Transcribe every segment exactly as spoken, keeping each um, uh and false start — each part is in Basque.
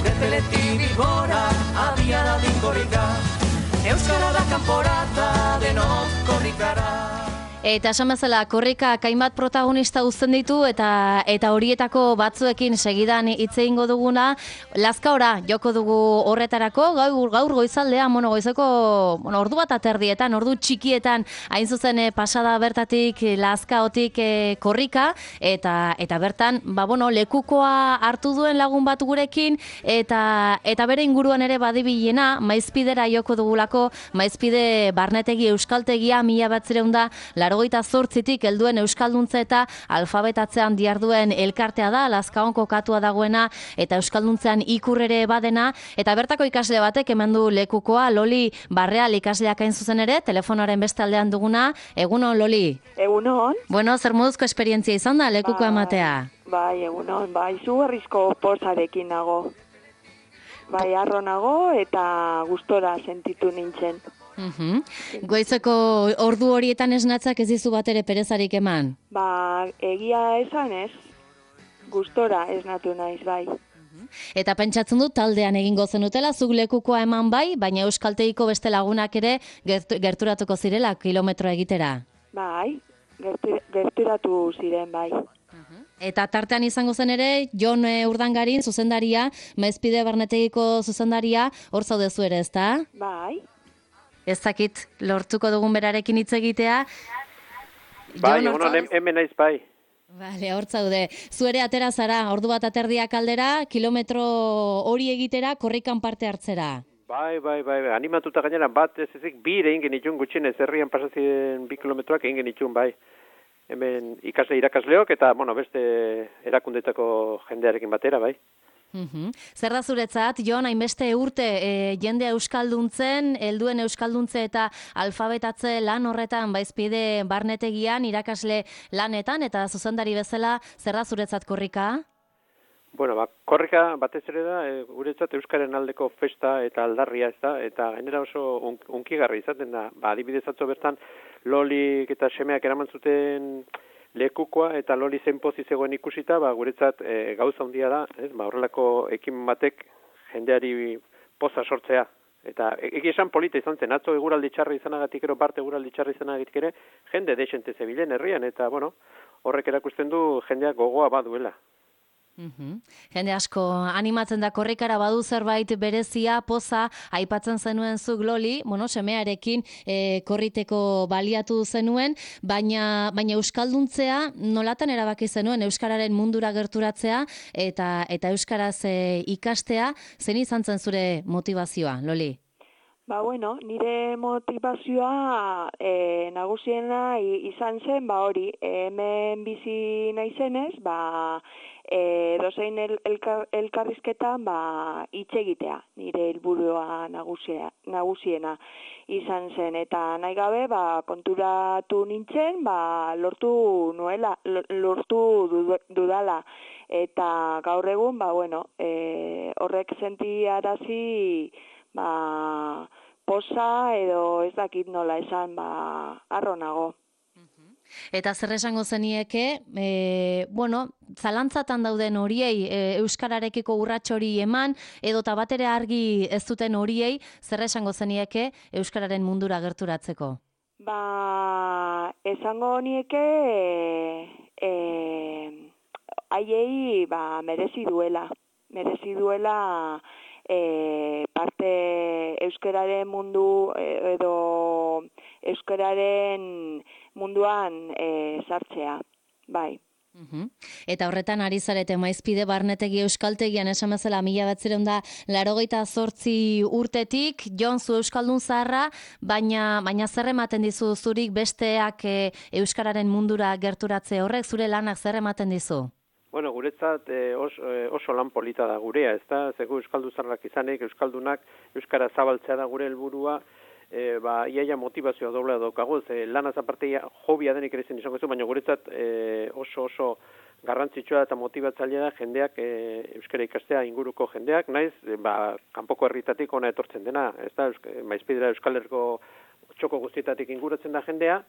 Berteletik Bilbora, abiara dinkorrika, euskara da kanporata denok korrikara. Eta esan bezala, korrikak hainbat protagonista uzten ditu eta eta horietako batzuekin segidan hitz egingo duguna, Lazkaora joko dugu horretarako, gaur gaur goizaldean, bueno, goizeko, bueno, ordu bat aterdietan, ordu txikietan, hain zuzen eh, pasada bertatik Lazkaotik eh, korrika eta eta bertan, ba bueno, lekukoa hartu duen lagun bat gurekin eta eta bere inguruan ere badibilena, Maizpidera joko dugulako, Maizpide barnetegi euskaltegia mila bederatziehun eta laurogeita zortzitik helduen euskalduntze eta alfabetatzean diharduen elkartea da, Lazkaon kokatua dagoena eta euskalduntzean ikur ere badena, eta bertako ikasle batek eman du lekukoa, Loli Barreal ikasleak hain zuzen ere, telefonoaren beste aldean duguna. Egunon, Loli? Egunon. Bueno, zer moduzko esperientzia izan da lekuko bai, ematea? Bai, egunon, bai, izugarrizko pozarekin nago. Bai, arro nago eta gustora sentitu nintzen. Uhum. Goizeko ordu horietan esnatzak ez dizu bat ere perezarik eman? Ba, egia esan ez, gustora esnatu naiz, bai. Eta pentsatzen dut taldean egingo zenutela, zuk lekukoa eman bai, baina euskaltegiko beste lagunak ere gertu, gerturatuko zirela kilometro egitera. Bai, gertu, gerturatu ziren, bai. Eta tartean izango zen ere, Jon Urdangarin zuzendaria, Maizpide barnetegiko zuzendaria, hor zaudezu ere, ezta? Bai. Ez dakit lortuko dugun berarekin hitz egitea. Bai, egunon, hemen naiz bai. Bale, hor zaude. Zuere atera zara, ordu bat aterdiak aldera, kilometro hori egitera, korrikan parte hartzera. Bai, bai, bai, bai. Animatuta gainera bat ez ezik bi egin genitun gutxienez herrian pasazien bi kilometroak egin genitun bai. Hemen ikasle irakasleok eta, bueno, beste erakundetako jendearekin batera, bai. Uhum. Zer da zuretzat, Jon, hainbeste urte e, jendea euskalduntzen, helduen euskalduntze eta alfabetatze lan horretan Maizpide barnetegian, irakasle lanetan, eta zuzendari bezala, zer da zuretzat korrika? Bueno, ba, korrika batez ere da, e, guretzat euskaren aldeko festa eta aldarria ez da, eta gainera oso un, unkigarri izaten da. Ba, adibidez atzo bertan, Lolik eta semeak eraman zuten lekukoa eta Loli zen pozi zegoen ikusita, ba, guretzat e, gauza handia da, ez? Ba, horrelako ekimen batek jendeari poza sortzea. Eta egia esan polita izan zen, atzo eguraldi txarra izanagatik ero, parte eguraldi txarra izanagatik ere, jende desente zebilen herrian, eta, bueno, horrek erakusten du jendeak gogoa baduela. Uhum. Jende asko animatzen da korrikara, badu zerbait berezia, poza, aipatzen zenuen zuk Loli, bueno, semearekin e, korriteko baliatu zenuen, baina baina euskalduntzea nolatan erabaki zenuen euskararen mundura gerturatzea eta eta euskaraz e, ikastea, zen izan zen zure motivazioa, Loli? Ba, bueno, nire motivazioa e, nagusiena izan zen, ba hori, hemen bizi naizenez, ba, e, dozein el, elkar, elkarrizketan, ba, hitz egitea, nire helburua nagusia, nagusiena izan zen, eta nahi gabe, ba, konturatu nintzen, ba, lortu nuela, lortu dudala, eta gaur egun, ba, bueno, e, horrek sentiarazi, ba, posa edo ez dakit nola esan, ba, arro nago. Eta zer esango zenieke, e, bueno, zalantzatan dauden horiei e, euskararekiko urrats hori eman, edo eta bat ere argi ez duten horiei, zer esango zenieke euskararen mundura gerturatzeko? Ba, esango nieke, e, haiei, ba, merezi duela, merezi duela, E, parte euskararen mundu edo euskararen munduan e, sartzea, bai. Uhum. Eta horretan ari zarete Maizpide barnetegi euskaltegian esan bezala mila bederatziehun eta laurogeita zortzi urtetik, Jon, zu euskaldun zaharra, baina baina zer ematen dizu zurik besteak e, euskararen mundura gerturatze horrek, zure lanak zer ematen dizu? Bueno, guretzat eh, oso, eh, oso lan polita da gurea, ez da? Zego euskalduzarrak izanek, euskaldunak, euskara zabaltzea da gure helburua, e, ba, iaia motivazioa doblea daukagu, ze lanaz aparteia hobia denik ere zen izango zu, baina guretzat e, oso oso garrantzitsua eta motibatzailea da jendeak e, euskara ikastea inguruko jendeak, naiz, e, ba, kanpoko herritatik ona etortzen dena, ez da? Eusk, Maizpidera Euskal Herriko txoko guztietatik inguratzen da jendea,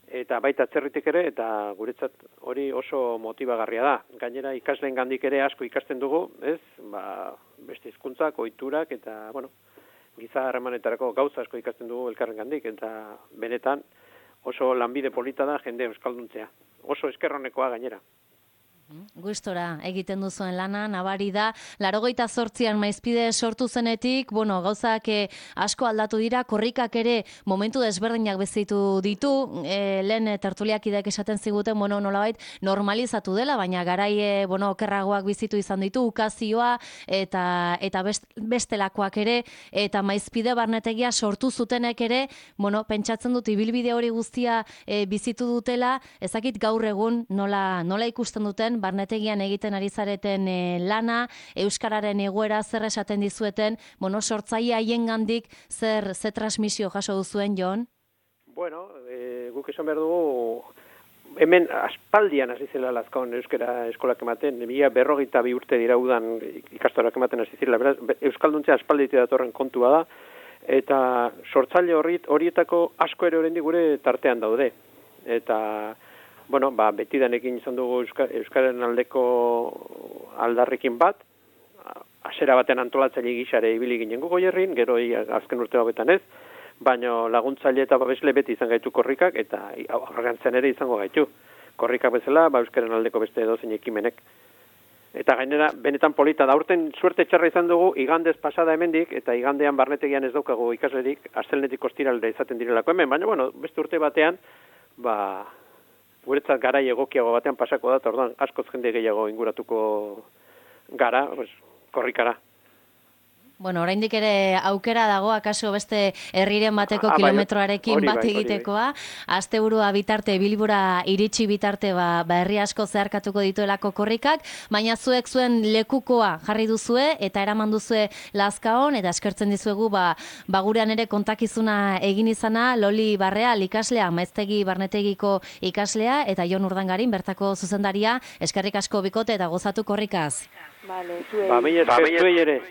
eta baita atzerritik ere, eta guretzat hori oso motibagarria da. Gainera ikasleen gandik ere asko ikasten dugu, ez? Ba, beste hizkuntzak, ohiturak eta, bueno, giza harremanetarako gauza asko ikasten dugu elkarren gandik, eta benetan oso lanbide polita da jende euskalduntzea. Oso eskerronekoa gainera. Gustora egiten duzuen lana, nabari da, larogeita zortzian maizpide sortu zenetik, bueno, gauzak eh, asko aldatu dira, korrikak ere momentu desberdinak bezitu ditu, eh, lehen tertuliak ideak esaten ziguten, bueno, nolabait normalizatu dela, baina garai, eh, bueno, okerragoak bizitu izan ditu, ukazioa, eta eta best, bestelakoak ere, eta maizpide barnetegia sortu zutenek ere, bueno, pentsatzen dut ibilbide hori guztia eh, bizitu dutela, ezakit gaur egun nola, nola ikusten duten, barnetegian egiten ari zareten e, lana, euskararen egoera zer esaten dizueten, bueno, sortzaile haiengandik zer ze transmisio jaso duzuen, Jon? Bueno, e, guk esan behar dugu, hemen aspaldian hasi zela Lazkaon euskara eskolak ematen, mila berrogeita bi urte dira udan ikastorak ematen hasi zela, beraz, euskalduntzea aspalditik datorren kontua da, eta sortzaile horietako asko ere oraindik gure tartean daude. Eta bueno, ba, betidanekin izan dugu Euska, Euskaren aldeko aldarrekin bat, hasera baten antolatzaile gisare ibili ginen gu Goierrin, gero azken urte hauetan ez, baina laguntzaile eta babesle beti izan gaitu korrikak, eta aurrerantzen ere izango gaitu. Korrikak bezala, ba, Euskaren aldeko beste edozein ekimenek. Eta gainera, benetan polita, da urten suerte txarra izan dugu, igandez pasada hemendik, eta igandean barnetegian ez daukagu ikaslerik, astelenetik ostiralde izaten direlako hemen, baina, bueno, beste urte batean, ba, guretzat garai egokiago batean pasako da, eta orduan askoz jende gehiago inguratuko gara, pues, korrikara. Bueno, oraindik ere aukera dago, akaso beste herriren bateko ah, kilometroarekin bai, bat bai, egitekoa, asteburua bitarte, bilbora iritsi bitarte, ba, ba herri asko zeharkatuko dituelako korrikak, baina zuek zuen lekukoa jarri duzue, eta eraman duzue Lazkaon, eta eskertzen dizuegu, ba, ba gurean ere kontakizuna egin izana, Loli Barreal ikaslea, Maiztegi Barnetegiko ikaslea, eta Jon Urdangarin, bertako zuzendaria, eskerrik asko bikote eta gozatu korrikaz. Vale, zuei. Ba, mila esker, zuei ere.